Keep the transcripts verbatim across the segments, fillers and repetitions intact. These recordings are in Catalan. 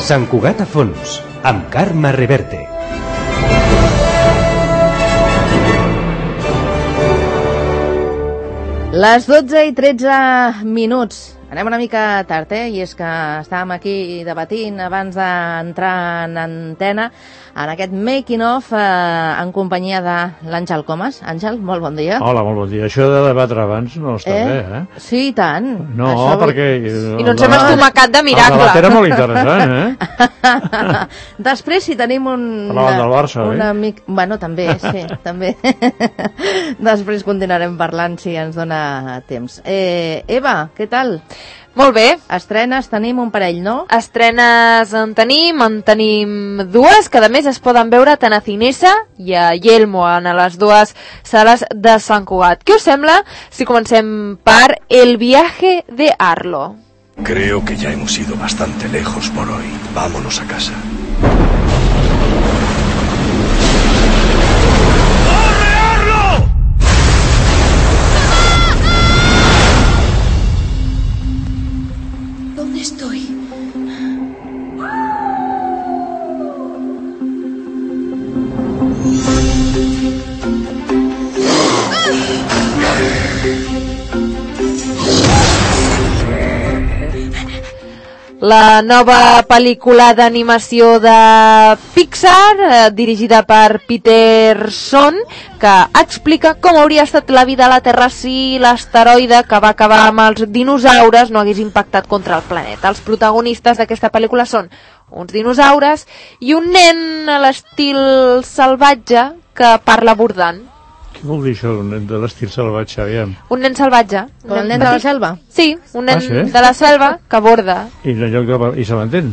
Sant Cugat a fons, amb Carme Reverte. Les dotze i tretze minuts. Anem una mica tard, eh? I és que estàvem aquí debatint abans d'entrar en antena en aquest making of eh, en companyia de l'Àngel Comas. Àngel, molt bon dia. Hola, molt bon dia. Això de debatre abans no està eh? bé, eh? Sí, i tant. No, Això perquè... I no ens hem estomacat de miracle. El debat era molt interessant, eh? Després, si tenim un... Parlàvem del Barça, un eh? amic... Bueno, també, sí, també. Després continuarem parlant, si ens dona temps. Eh, Eva, què tal? Molt bé. Estrenes tenim un parell, no? Estrenes en tenim, en tenim dues, que a més es poden veure tant a Cinesa i a Yelmo, en les dues sales de Sant Cugat. Què us sembla si comencem per El viaje de Arlo? Creo que ya hemos ido bastante lejos por hoy. Vámonos a casa. ¿Dónde estoy? La nova pel·lícula d'animació de Pixar, eh, dirigida per Peterson, que explica com hauria estat la vida a la Terra si l'asteroide que va acabar amb els dinosaures no hagués impactat contra el planeta. Els protagonistes d'aquesta pel·lícula són uns dinosaures i un nen a l'estil salvatge que parla bordant. Què vol dir això, un nen de l'estil salvatge, aviam? Un nen salvatge. Però el nen de la selva? Sí, un nen Ah, sí? de la selva que borda. I, en lloc de... I se l'entén?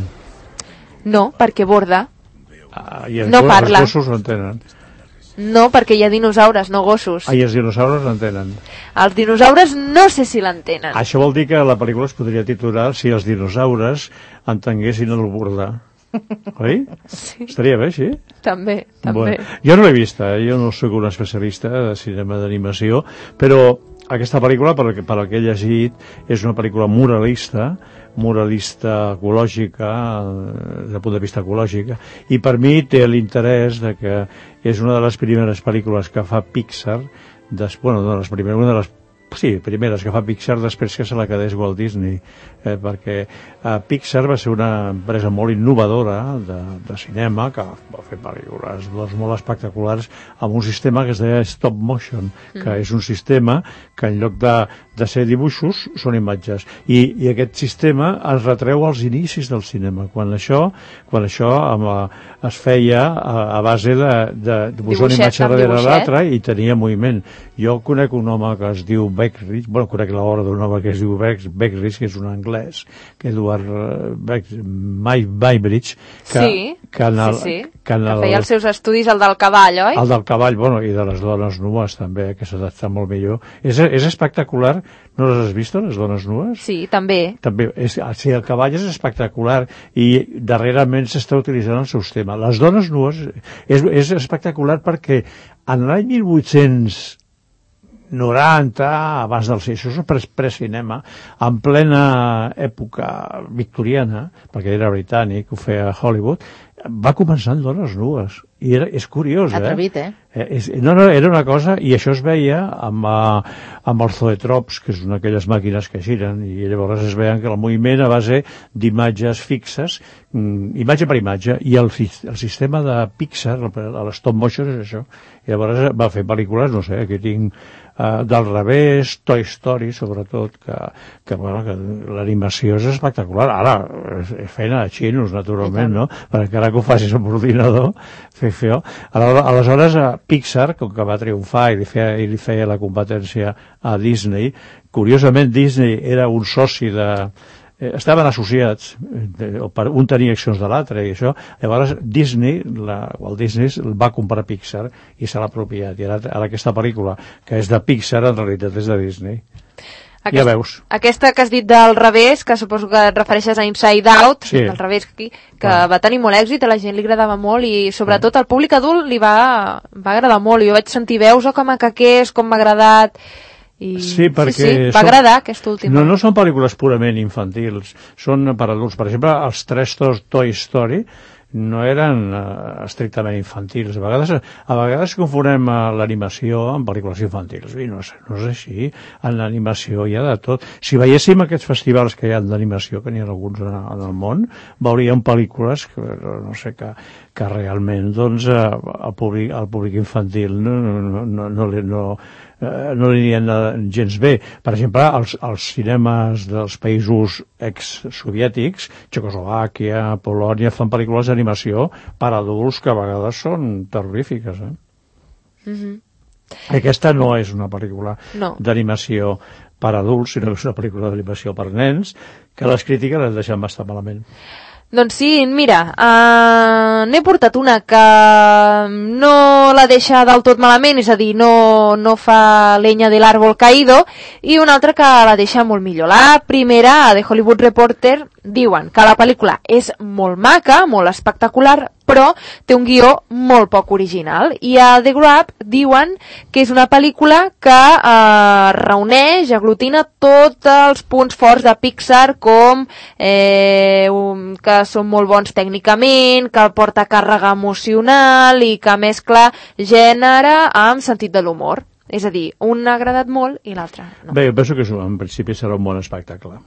No, perquè borda. Ah, i els, No parla. Els gossos l'entenen. No, perquè hi ha dinosaures, no gossos. Ah, i els dinosaures l'entenen. Els dinosaures no sé si l'entenen. Això vol dir que la pel·lícula es podria titular Si els dinosaures entenguessin el bordar. Oi? Sí. Estaria bé, sí? També, també. Bueno, jo no l'he vista, eh? Jo no soc un especialista de cinema d'animació, però aquesta pel·lícula, per, per el que he llegit, és una pel·lícula moralista, moralista ecològica, des del punt de vista ecològic, i per mi té l'interès de que és una de les primeres pel·lícules que fa Pixar, des, bueno, no les primeres, una de les sí, primeres que fa Pixar després que se la quedés Walt Disney, eh, perquè eh, Pixar va ser una empresa molt innovadora de, de cinema que va fer pel·lícules doncs, molt espectaculars amb un sistema que es deia stop motion, que mm. és un sistema que en lloc de, de ser dibuixos són imatges, i, i aquest sistema es retreu als inicis del cinema, quan això, quan això amb, a, es feia a, a base de, de, de posar una imatge darrere l'altra i tenia moviment. Jo conec un home que es diu Beckridge, bueno, conec l'obra d'un home que es diu Beckridge, que és un anglès, que Edward Muybridge, que, sí, que, en el, sí, sí. que, en el, que feia els seus estudis, el del cavall, oi? El del cavall, bueno, i de les dones nues també, que s'adapta molt millor. És, és espectacular, no les has vist, les dones nues? Sí, també. També, és, sí, el cavall és espectacular i darrerament s'està utilitzant el seu tema. Les dones nues és, és espectacular perquè en l'any mil vuit-cents noranta, abans del això és precinema, en plena època victoriana, perquè era britànic, ho feia a Hollywood, va començar amb dones nues. I era, és curiós, eh? Atrevit, eh? eh és, no, no, era una cosa, i això es veia amb, amb els zoetrops, que és una d'aquelles màquines que giren, i llavors es veien que el moviment a base d'imatges fixes, imatge per imatge, i el, el sistema de Pixar, l'stop motion és això. I llavors va fer pel·lícules, no sé, aquí tinc uh, del revés, Toy Story, sobretot, que, que, bueno, que l'animació és espectacular. Ara, és, és feina de xinos, naturalment, no? Per encara que ho facis amb ordinador, fer feo. Aleshores, a Pixar, com que va triomfar i li feia, i li feia la competència a Disney, curiosament Disney era un soci de... Eh, estaven associats, eh, un tenia accions de l'altre i això, llavors Disney, la, Walt Disney va comprar Pixar i se l'ha apropiat, i ara, ara aquesta pel·lícula que és de Pixar en realitat és de Disney. Aquest, ja veus. Aquesta que has dit del revés, que suposo que et refereixes a Inside Out, sí. del revés aquí, que ah. va tenir molt èxit, a la gent li agradava molt i sobretot al públic adult li va, va agradar molt. Jo vaig sentir veus, oh, que maca que és, com m'ha agradat, I... Sí, perquè sí, sí, va són... agradar aquesta última. No, no són pel·lícules purament infantils, són per adults. Per exemple, els tres Toy Story no eren uh, estrictament infantils. A vegades, a vegades confonem uh, l'animació amb pel·lícules infantils. I no és, no és així. En l'animació hi ha de tot. Si veiéssim aquests festivals que hi ha d'animació, que n'hi ha alguns en, en el món, veuríem pel·lícules que, no sé, que, que realment doncs, uh, el, públic, el públic infantil no, no, no, no, no, no no li anirien gens bé. Per exemple, els, els cinemes dels països ex-soviètics, Txecoslovàquia, Polònia, fan pel·lícules d'animació per adults que a vegades són terrorífiques. Eh? Mm-hmm. Aquesta no és una pel·lícula no. d'animació per adults, sinó que és una pel·lícula d'animació per nens, que les crítiques les deixen bastant malament. Doncs sí, mira, uh, n'he portat una que no la deixa del tot malament, és a dir, no, no fa leña de l'àrbol caído, i una altra que la deixa molt millor. La primera, a The Hollywood Reporter, diuen que la pel·lícula és molt maca, molt espectacular, però té un guió molt poc original. I a The Grab diuen que és una pel·lícula que eh, reuneix, aglutina tots els punts forts de Pixar, com eh, un, que són molt bons tècnicament, que porta càrrega emocional i que mescla gènere amb sentit de l'humor. És a dir, un ha agradat molt i l'altre no. Bé, jo penso que en principi serà un bon espectacle.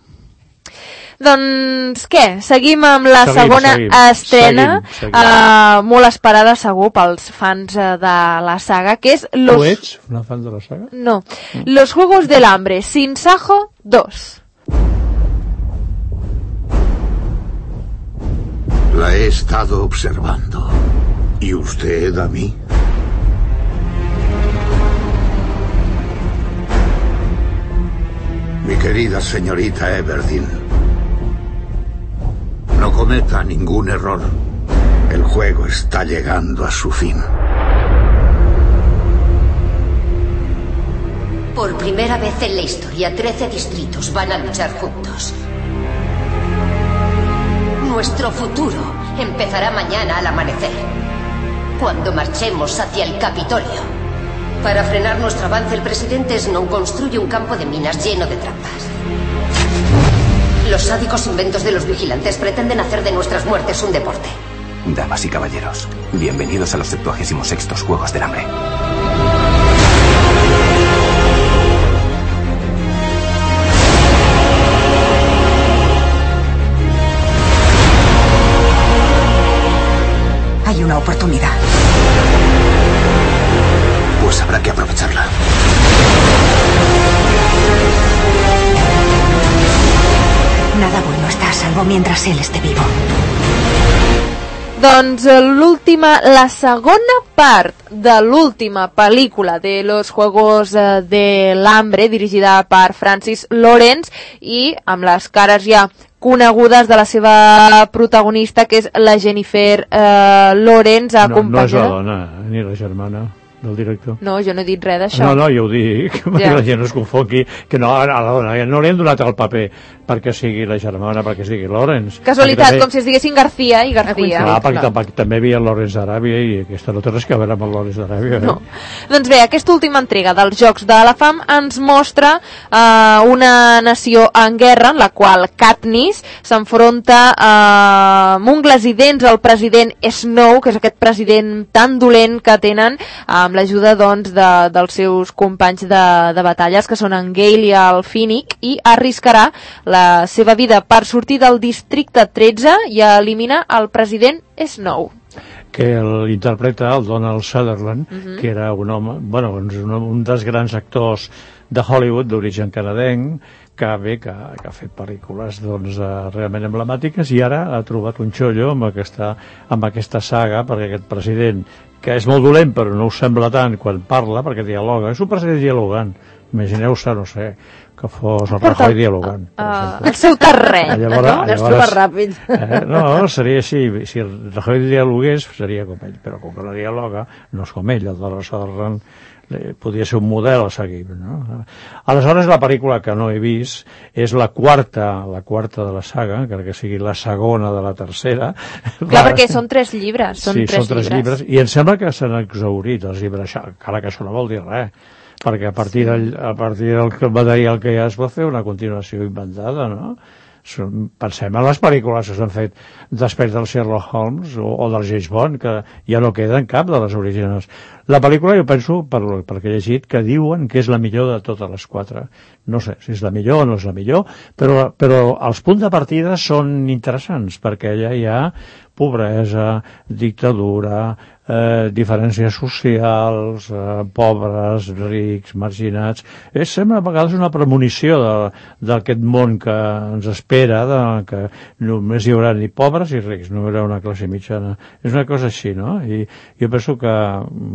Doncs què? Seguim amb la seguim, segona seguim, estrena, seguim, seguim. Uh, molt esperada segur pels fans uh, de la saga, que és... Los... ¿Tú ets una fan de la saga? No. Mm. Los Juegos del Hambre, Sin Sajo dos. La he estado observando. ¿Y usted a mí? Mi querida señorita Everdeen, no cometa ningún error. El juego está llegando a su fin. Por primera vez en la historia, trece distritos van a luchar juntos. Nuestro futuro empezará mañana al amanecer, cuando marchemos hacia el Capitolio. Para frenar nuestro avance, el presidente Snow construye un campo de minas lleno de trampas. Los sádicos inventos de los vigilantes pretenden hacer de nuestras muertes un deporte. Damas y caballeros, bienvenidos a los septuagésimos sextos Juegos del Hambre. Hay una oportunidad. Pues habrá que aprovecharla. Nada bueno está a salvo mientras él esté vivo. Doncs l'última, la segona part de l'última pel·lícula de Los Juegos de l'Hambre, dirigida per Francis Lawrence, i amb les cares ja conegudes de la seva protagonista, que és la Jennifer eh, Lawrence, acompanyada... No, no és la dona, ni la germana del director. No, jo no he dit res d'això. No, no, jo ho dic, ja. perquè la gent no es confongui, que no, a la dona no li hem donat el paper perquè sigui la germana, perquè es digui Lawrence. Casualitat, també... com si es diguessin García i García. Clar, perquè no. també, també hi havia Lawrence d'Aràbia i aquesta no té res que veure amb el Lawrence d'Aràbia. Eh? No. Doncs bé, aquesta última entrega dels Jocs de la Fam ens mostra eh, una nació en guerra en la qual Katniss s'enfronta eh, amb ungles i dents al president Snow, que és aquest president tan dolent que tenen, amb l'ajuda doncs, de, dels seus companys de, de batalles, que són en Gale i el Finnick, i arriscarà la seva vida per sortir del districte tretze i eliminar el president Snow. Que l'interpreta el Donald Sutherland, uh-huh. que era un home, bueno, un, un dels grans actors de Hollywood d'origen canadenc, que bé, que, que ha fet pel·lícules doncs, realment emblemàtiques, i ara ha trobat un xollo amb aquesta, amb aquesta saga, perquè aquest president, que és molt dolent però no ho sembla tant quan parla, perquè dialoga, és un president dialogant. Imagineu-se, no sé, que fos el Rajoy dialogant. Uh, el seu terreny. Llavors, no? És super ràpid. Eh, no, seria així. Si el Rajoy dialogués, seria com ell. Però com que no dialoga, no és com ell. El de Sutherland podria ser un model a seguir. No? Aleshores, la pel·lícula que no he vist és la quarta, la quarta de la saga, encara que sigui la segona de la tercera. Clar, la... perquè són tres llibres. Són sí, tres són tres llibres. llibres. I em sembla que s'han exhaurit els llibres, encara que això no vol dir res. perquè a partir, sí. del, a partir del material que ja es pot fer una continuació inventada, no? Pensem en les pel·lícules que s'han fet després del Sherlock Holmes o, o del James Bond, que ja no queden cap de les originals. La pel·lícula, jo penso, per, perquè he llegit, que diuen que és la millor de totes les quatre. No sé si és la millor o no és la millor, però, però els punts de partida són interessants, perquè allà hi ha pobresa, dictadura, eh, diferències socials, eh, pobres, rics, marginats. És, sembla a vegades una premonició d'aquest món que ens espera, de, que només hi haurà ni pobres ni rics, no hi haurà una classe mitjana. És una cosa així, no? I jo penso que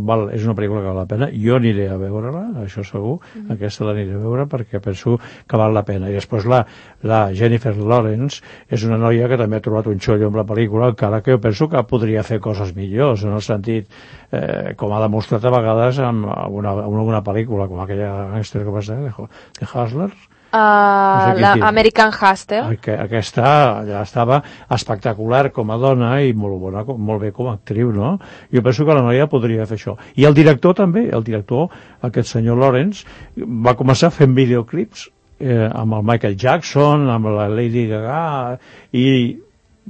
val, és una pel·lícula que val la pena. Jo aniré a veure-la, això segur, mm-hmm. aquesta l'aniré a veure perquè penso que val la pena. I després la, la Jennifer Lawrence és una noia que també ha trobat un xollo amb la pel·lícula, encara que jo penso que podria fer coses millors, en el sentit, eh, com ha demostrat a vegades en alguna, en alguna pel·lícula, com aquella gangster que va ser, de, de Hustlers. Uh, no sé l'American Hustle. Aquesta ja estava espectacular com a dona i molt bona, molt bé com a actriu, no? Jo penso que la noia podria fer això. I el director també, el director, aquest senyor Lawrence, va començar fent videoclips eh, amb el Michael Jackson, amb la Lady Gaga i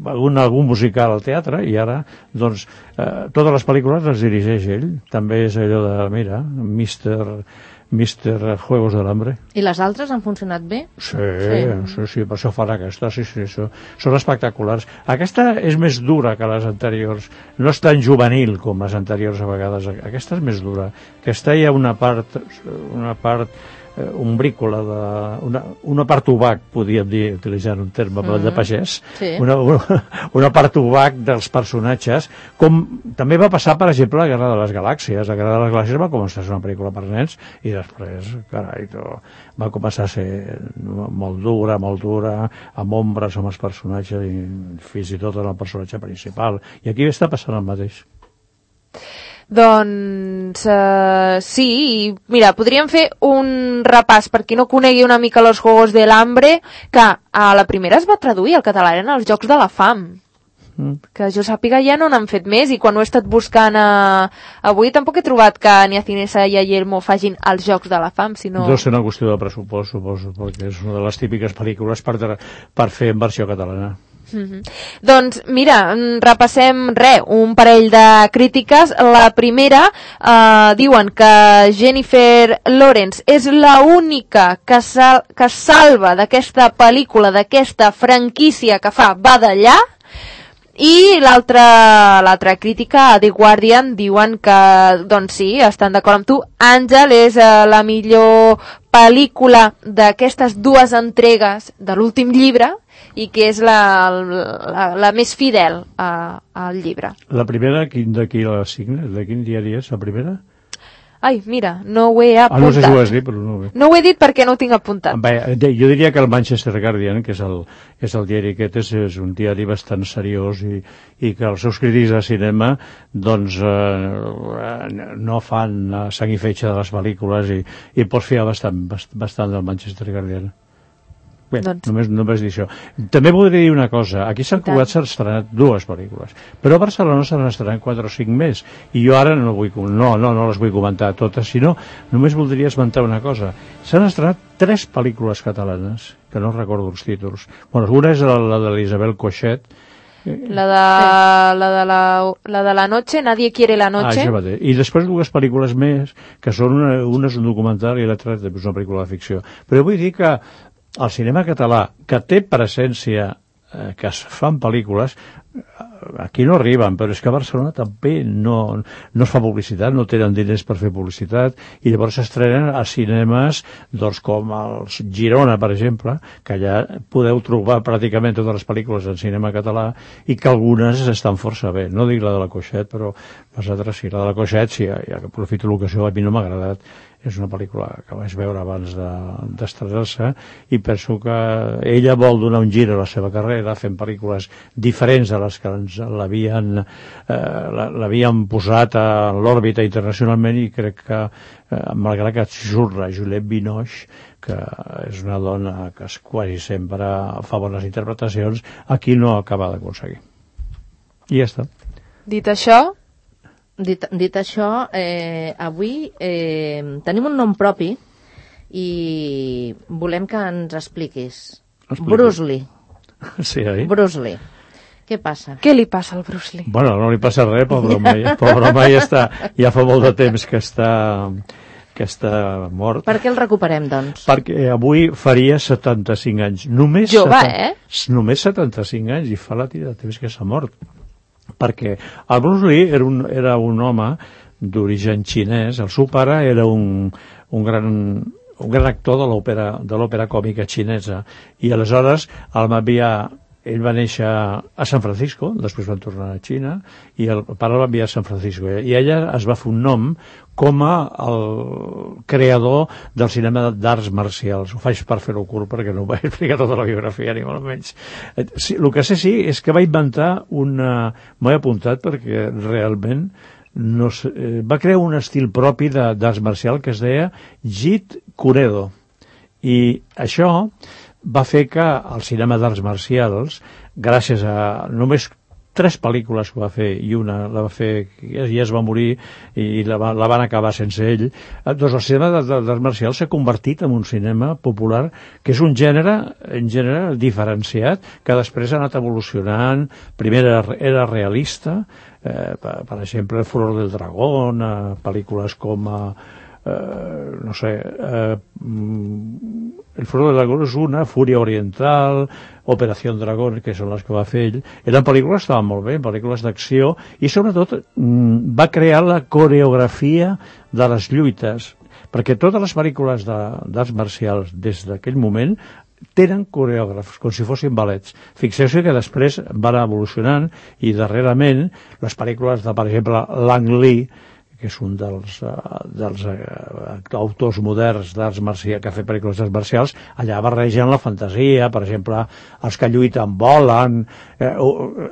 algun, algun musical al teatre, i ara doncs eh, totes les pel·lícules les dirigeix ell. També és allò de, mira, mister mister Juegos del Hambre. I les altres han funcionat bé? Sí, sí, sí, sí, per això fan aquesta, sí, sí, sí, són espectaculars. Aquesta és més dura que les anteriors, no és tan juvenil com les anteriors a vegades, aquesta és més dura. Aquesta hi ha una part, una part eh, ombrícola, de, una, una part obac, podríem dir, utilitzant un terme mm-hmm. de pagès, sí. una, una, una part obac dels personatges, com també va passar, per exemple, a la Guerra de les Galàxies. La Guerra de les Galàxies va començar a ser una pel·lícula per nens i després, carai, va començar a ser molt dura, molt dura, amb ombres amb els personatges i fins i tot en el personatge principal. I aquí està passant el mateix. Doncs uh, sí, mira, podríem fer un repàs per qui no conegui una mica los Juegos del Hambre, que a la primera es va traduir al català, eren els Jocs de la Fam, mm. que jo sàpiga ja no n'han fet més, i quan ho he estat buscant a... avui tampoc he trobat que ni a Cinesa i a Yelmo facin els Jocs de la Fam, sinó... Deu ser una qüestió de pressupost, suposo, perquè és una de les típiques pel·lícules per, per fer en versió catalana. Mm-hmm. Doncs mira, repassem re, un parell de crítiques. La primera eh, diuen que Jennifer Lawrence és la única que, sal que salva d'aquesta pel·lícula, d'aquesta franquícia que fa badallar. I l'altra l'altra crítica a The Guardian diuen que, doncs sí, estan d'acord amb tu, Àngel és eh, la millor pel·lícula d'aquestes dues entregues de l'últim llibre i que és la, la, la més fidel a, al llibre. La primera, de qui la signa? De quin diari és la primera? Ai, mira, no ho he apuntat. Ah, no sé si ho has dit, però no ho he... No ho he dit perquè no ho tinc apuntat. Bé, jo diria que el Manchester Guardian, que és el, és el diari aquest, és, és un diari bastant seriós i, i que els seus crítics de cinema doncs eh, no fan sang i fetge de les pel·lícules i, i pots fiar bastant, bastant del Manchester Guardian. Bé, doncs... només, només dir això. També voldria dir una cosa. Aquí s'han Cugat s'han estrenat dues pel·lícules, però a Barcelona s'han estrenat quatre o cinc més, i jo ara no, vull, no, no, no les vull comentar totes, sinó només voldria esmentar una cosa. S'han estrenat tres pel·lícules catalanes, que no recordo els títols. Bueno, una és la, la de l'Isabel Coixet, La de, la, de la, la de la noche, Nadie quiere la noche. Ah, i després dues pel·lícules més, que són una, una és un documental i l'altra és una pel·lícula de ficció. Però vull dir que el cinema català, que té presència, eh, que es fan pel·lícules, aquí no arriben, però és que a Barcelona també no, no es fa publicitat, no tenen diners per fer publicitat, i llavors s'estrenen a cinemes doncs, com els Girona, per exemple, que allà podeu trobar pràcticament totes les pel·lícules en cinema català, i que algunes estan força bé. No dic la de la Coixet, però les altres sí. La de la Coixet, sí, ja que aprofito l'ocasió, a mi no m'ha agradat. És una pel·lícula que vaig veure abans d'estrenar-se i penso que ella vol donar un gir a la seva carrera fent pel·lícules diferents de les que ens l'havien eh, l'havien posat a l'òrbita internacionalment, i crec que eh, malgrat que surt la Juliette Binoche, que és una dona que quasi sempre fa bones interpretacions, aquí no acaba d'aconseguir. I ja està. Dit això, dit, dit això, eh, avui eh, tenim un nom propi i volem que ens expliquis. Explico. Bruce Lee. Sí, oi? Bruce Lee. Què passa? Què li passa al Bruce Lee? Bueno, no li passa res, pobre home. Pobre home ja està, ja fa molt de temps que està, que està mort. Per què el recuperem, doncs? Perquè avui faria setanta-cinc anys. Només Jove, setanta, eh? Només setanta-cinc anys i fa la tira de temps que s'ha mort. Perquè el Bruce Lee era un, era un home d'origen xinès. El seu pare era un, un gran... un gran actor de l'òpera de l'òpera còmica xinesa, i aleshores el va enviar, ell va néixer a San Francisco, després van tornar a Xina, i el pare el va enviar a San Francisco, i ella es va fer un nom com a el creador del cinema d'arts marcials. Ho faig per fer-ho curt perquè no ho vaig explicar tota la biografia, ni molt menys. Sí, el que sé sí és que va inventar una... m'ho he apuntat perquè realment no sé, eh, va crear un estil propi d'arts marcial que es deia Jeet Kune Do, i això va fer que el cinema d'arts marcials, gràcies a només tres pel·lícules que va fer, i una la va fer, ja, ja es va morir i la, va, la van acabar sense ell, doncs el cinema d'arts marcials s'ha convertit en un cinema popular que és un gènere, un gènere diferenciat, que després ha anat evolucionant. Primer era, era realista, eh, per, per exemple El furor del dragón, eh, pel·lícules com a eh, no sé, eh, El furor del dragón és una, Fúria oriental, Operació Dragón, que són les que va fer ell. Eren pel·lícules que estaven molt bé, pel·lícules d'acció, i sobretot mm, va crear la coreografia de les lluites, perquè totes les pel·lícules d'arts marcials des d'aquell moment tenen coreògrafs, com si fossin ballets. Fixeu-se que després van evolucionant, i darrerament les pel·lícules de, per exemple, Lang Lee, que és un dels, uh, dels uh, autors moderns d'arts marcials, que ha fet pel·lícules d'arts marcials, allà barregen la fantasia, per exemple, els que lluiten volen, eh,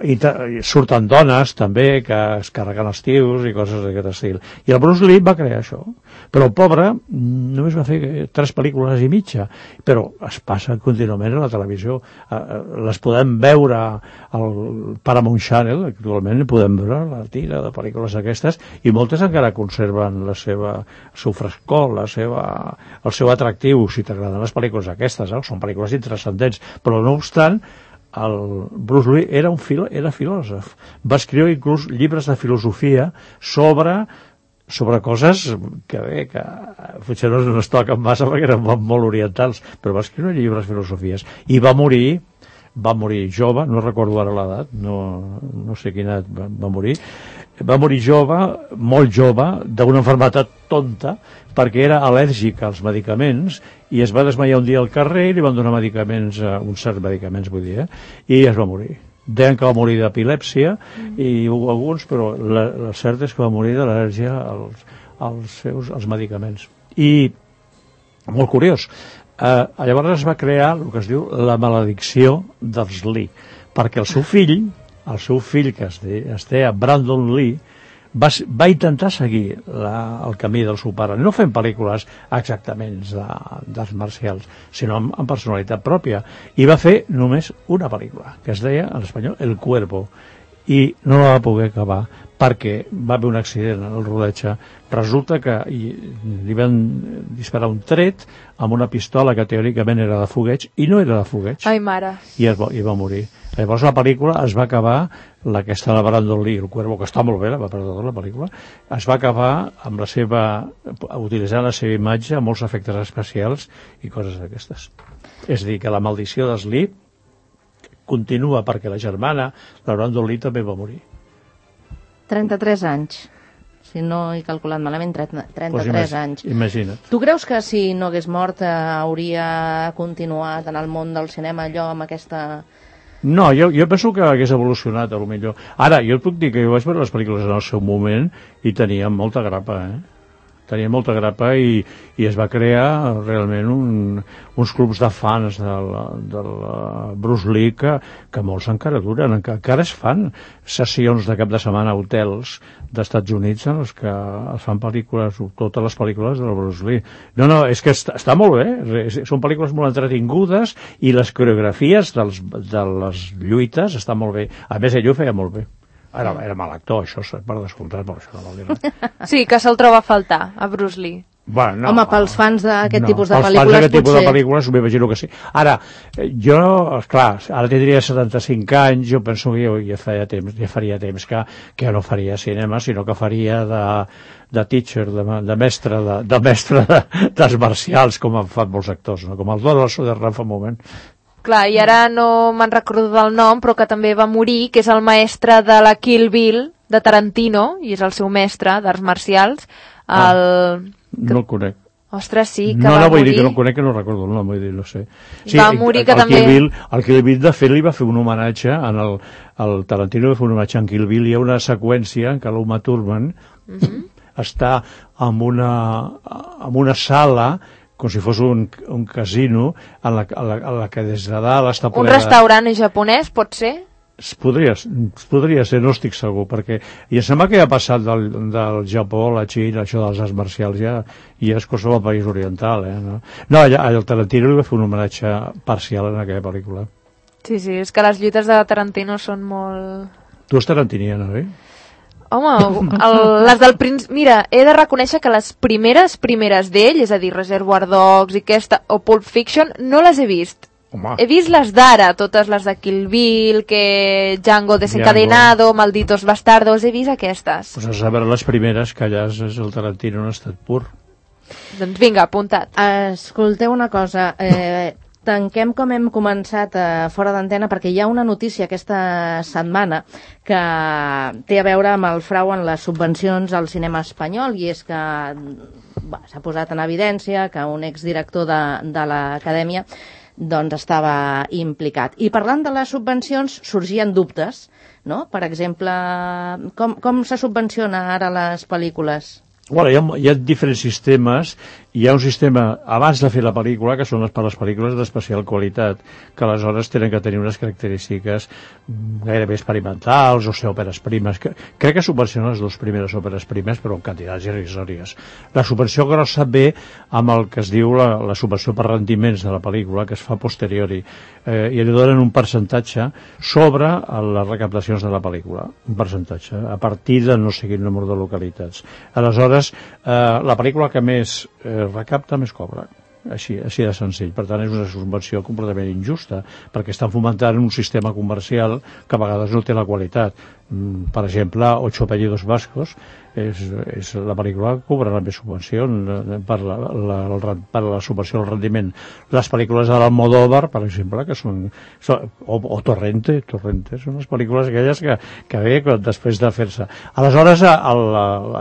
i, i surten dones també, que es carreguen els tios i coses d'aquest estil. I el Bruce Lee va crear això. Però el pobre només va fer tres pel·lícules i mitja, però es passa contínuament a la televisió. Uh, les podem veure al Paramount Channel, actualment podem veure la tira de pel·lícules aquestes, i moltes encara conserven la seva, el seu frescor, la seva, el seu atractiu, si t'agraden les pel·lícules aquestes, eh? Són pel·lícules intrascendents, però no obstant, el Bruce Lee era un filo, era filòsof. Va escriure inclús llibres de filosofia sobre sobre coses que bé, que potser no es toquen massa perquè eren molt orientals, però va escriure llibres de filosofies, i va morir va morir jove, no recordo ara l'edat, no, no sé quina va, va morir, va morir jove, molt jove, d'una malaltia tonta, perquè era al·lèrgic als medicaments, i es va desmaiar un dia al carrer i li van donar medicaments, uns certs medicaments, vull dir, eh? I es va morir. Deien que va morir d'epilèpsia, mm. i alguns, però la, la cert és que va morir de l'al·lèrgia als, als seus als medicaments. I, molt curiós, eh, llavors es va crear el que es diu la maledicció dels Lee, perquè el seu fill, el seu fill que es, de, es deia Brandon Lee, va, va intentar seguir la, el camí del seu pare, no fent pel·lícules exactament d'arts marcials, sinó amb, amb personalitat pròpia, i va fer només una pel·lícula, que es deia en espanyol El Cuervo, i no la va poder acabar perquè va haver un accident en el rodatge. Resulta que i, li van disparar un tret amb una pistola que teòricament era de fogueig, i no era de fogueig. Ai, mare. I, es va, i va morir. Llavors la pel·lícula es va acabar, la que està de Brandon Lee, El Cuervo, que està molt bé, la, perdó, la pel·lícula, es va acabar amb la seva, utilitzant la seva imatge, amb molts efectes especials i coses d'aquestes. És a dir, que la maldició dels Lee continua perquè la germana, la Brandon Lee, també va morir. trenta-tres anys. Si no he calculat malament, trenta-tres pues imag anys. Imagina't. Tu creus que si no hagués mort eh, hauria continuat en el món del cinema allò amb aquesta... No, jo, jo penso que hagués evolucionat, a lo millor. Ara, jo et puc dir que jo vaig veure les pel·lícules en el seu moment i tenia molta grapa, eh? Tenia molta grapa, i, i es va crear realment un, uns clubs de fans del, del Bruce Lee que, que molts encara duren, encara es fan sessions de cap de setmana a hotels d'Estats Units en els que es fan pel·lícules, totes les pel·lícules del Bruce Lee. No, no, és que està, està molt bé, són pel·lícules molt entretingudes i les coreografies dels, de les lluites estan molt bé. A més, ell ho feia molt bé. Era, era mal actor, això, per descomptat, però això no vol dir res. Sí, que se'l troba a faltar, a Bruce Lee. Bueno, no, Home, pels fans d'aquest no, tipus de pels pel·lícules, fans d'aquest tipus potser... de pel·lícules m'imagino que sí. Ara, jo, esclar, ara tindria setanta-cinc anys, jo penso que jo ja faria temps, ja faria temps que, que no faria cinema, sinó que faria de, de teacher, de, de mestre, de, de mestre de, d'arts marcials, com han fet molts actors, no? Com el Donald Sutherland fa un moment. Clar, i ara no me'n recordo del nom, però que també va morir, que és el mestre de la Kill Bill, de Tarantino, i és el seu mestre d'arts marcials, el... Ah, no el conec. Ostres, sí, que no, va no, vull morir. dir que no el conec, que no recordo el nom, vull dir, no sé. Sí, va morir que el, el també... Kill Bill, el Kill Bill, de fet, li va fer un homenatge, en el, el Tarantino va fer un homenatge en Kill Bill, hi ha una seqüència en què l'Uma Thurman uh -huh. està en una, en una sala com si fos un, un casino en la, en, la, en la que des de dalt està... Un restaurant japonès, pot ser? Es podria, es podria ser, no estic segur, perquè i em sembla que ja ha passat del, del Japó, la Xina, això dels arts marcials, ja, i és cosa del país oriental, eh? No, no allà, el Tarantino li va fer un homenatge parcial en aquella pel·lícula. Sí, sí, és que les lluites de Tarantino són molt... Tu ets tarantiniana, oi? Home, el, les del Prince... Mira, he de reconèixer que les primeres, primeres d'ell, és a dir, Reservoir Dogs i aquesta, o Pulp Fiction, no les he vist. Home. He vist les d'ara, totes les de Kill Bill, que Django Desencadenado, Django. Malditos Bastardos, he vist aquestes. Pues has de veure les primeres, que allà és el Tarantino en estat pur. Doncs vinga, apuntat. Escolteu una cosa, eh, tanquem com hem començat eh, fora d'antena, perquè hi ha una notícia aquesta setmana que té a veure amb el frau en les subvencions al cinema espanyol, i és que s'ha posat en evidència que un exdirector de, de l'acadèmia doncs estava implicat. I parlant de les subvencions, sorgien dubtes, no? Per exemple, com, com se subvenciona ara les pel·lícules? Bueno, hi ha, hi ha diferents sistemes. Hi ha un sistema, abans de fer la pel·lícula, que són les, per les pel·lícules d'especial qualitat, que aleshores tenen que tenir unes característiques gairebé experimentals, o ser òperes primes. Que, crec que subvencionen les dues primeres òperes primes, però en quantitats irrisòries. La subvenció grossa ve amb el que es diu la, la subvenció per rendiments de la pel·lícula, que es fa a posteriori, eh, i li donen un percentatge sobre les recaptacions de la pel·lícula. Un percentatge, a partir de no sé quin número de localitats. Aleshores, eh, la pel·lícula que més eh, recapta més cobra, així, així de senzill. Per tant, és una subvenció completament injusta, perquè estan fomentant un sistema comercial que a vegades no té la qualitat. Per exemple, Ocho apellidos vascos és, és la pel·lícula que cobrarà més subvenció per la, la, per la subvenció al rendiment. Les pel·lícules de l'Almodóvar, per exemple, que són, són o, o Torrente, Torrente, són les pel·lícules aquelles que, que ve després de fer-se. Aleshores, el,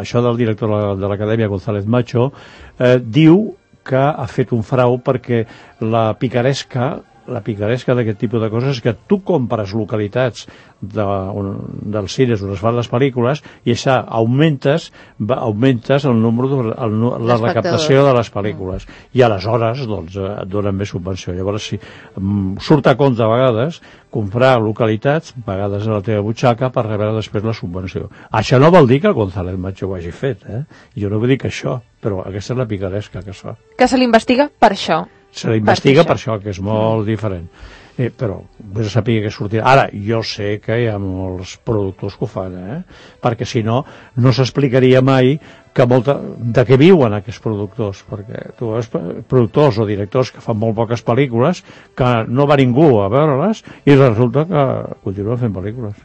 això del director de l'Acadèmia, González Macho, eh, diu que ha fet un frau perquè la picaresca la picaresca d'aquest tipus de coses és que tu compres localitats de, un, dels cines on es fan les pel·lícules i això augmentes, va, augmentes el número de, el, la recaptació de les pel·lícules i aleshores doncs, et donen més subvenció. Llavors si um, surt a compte a vegades comprar localitats, a vegades a la teva butxaca, per rebre després la subvenció. Això no vol dir que el González Macho ho hagi fet, eh? Jo no vull dir que això, però aquesta és la picaresca que es fa. Que se l'investiga per això. Se l'investiga per, per això, que és molt mm. diferent. Eh, però vés a saber que sortirà. Ara, jo sé que hi ha molts productors que ho fan, eh? Perquè si no, no s'explicaria mai que molta, de què viuen aquests productors, perquè tu veus productors o directors que fan molt poques pel·lícules, que no va ningú a veure-les i resulta que continuen fent pel·lícules.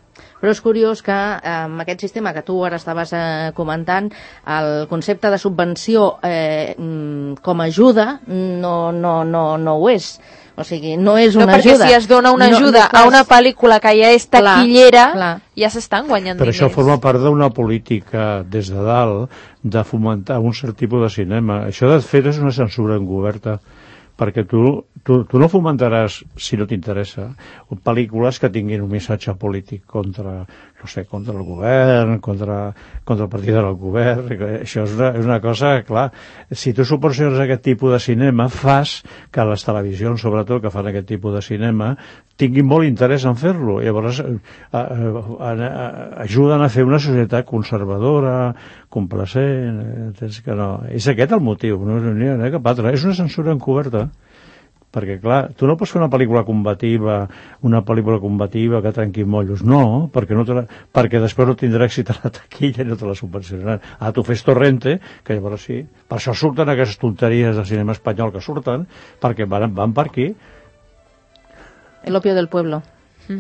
Però és curiós que eh, amb aquest sistema que tu ara estaves eh, comentant, el concepte de subvenció eh, com a ajuda no, no, no, no ho és. O sigui, no és una no, perquè ajuda. Si es dona una ajuda no, no, a una pel·lícula que ja és taquillera, clar, clar. Ja s'estan guanyant Però diners. Però això forma part d'una política des de dalt de fomentar un cert tipus de cinema. Això de fet és una censura encoberta, perquè tu, tu, tu no fomentaràs, si no t'interessa, pel·lícules que tinguin un missatge polític contra, no sé, contra el govern, contra, contra el partit del govern. Això és una, és una cosa, clar, si tu subvenciones aquest tipus de cinema, fas que les televisions, sobretot, que fan aquest tipus de cinema, tinguin molt interès en fer-lo. Llavors, eh, eh, ajuden a fer una societat conservadora, complacent, eh, que no. És aquest el motiu, no és ni cap altre. És una censura encoberta. perquè clar, tu no pots fer una pel·lícula combativa, una pel·lícula combativa que trenqui mollos, no, perquè, no te la, perquè després no tindrà èxit a la taquilla i no te la subvencionaran. Ah, tu fes Torrente, que llavors sí, per això surten aquestes tonteries de cinema espanyol que surten, perquè van, van per aquí. El opio del pueblo,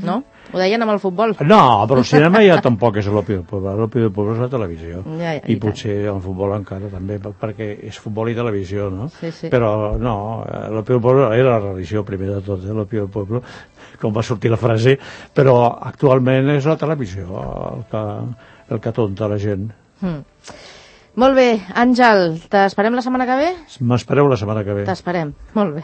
no? Ho deien amb el futbol. No, però el cinema ja tampoc és l'opio del poble. L'opio del poble és la televisió. Ja, ja, I, I potser el futbol encara també, perquè és futbol i televisió, no? Sí, sí. Però no, l'opio del poble era la religió primer de tot, eh? L'opio del poble, com va sortir la frase, però actualment és la televisió el que, el que tonta la gent. Mm. Molt bé, Àngel, t'esperem la setmana que ve? M'espereu la setmana que ve. T'esperem, molt bé.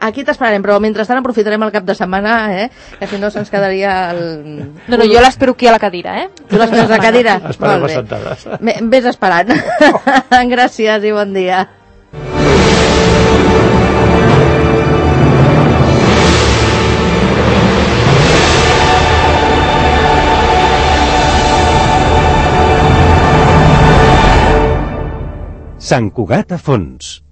Aquí t'esperarem, però mentrestant aprofitarem el cap de setmana, eh? Que si no se'ns quedaria el... No, no, jo l'espero aquí a la cadira, eh? Tu l'esperes a la cadira? Esperem les sentades. Ves esperant. Gràcies i bon dia. Sant Cugat a fons.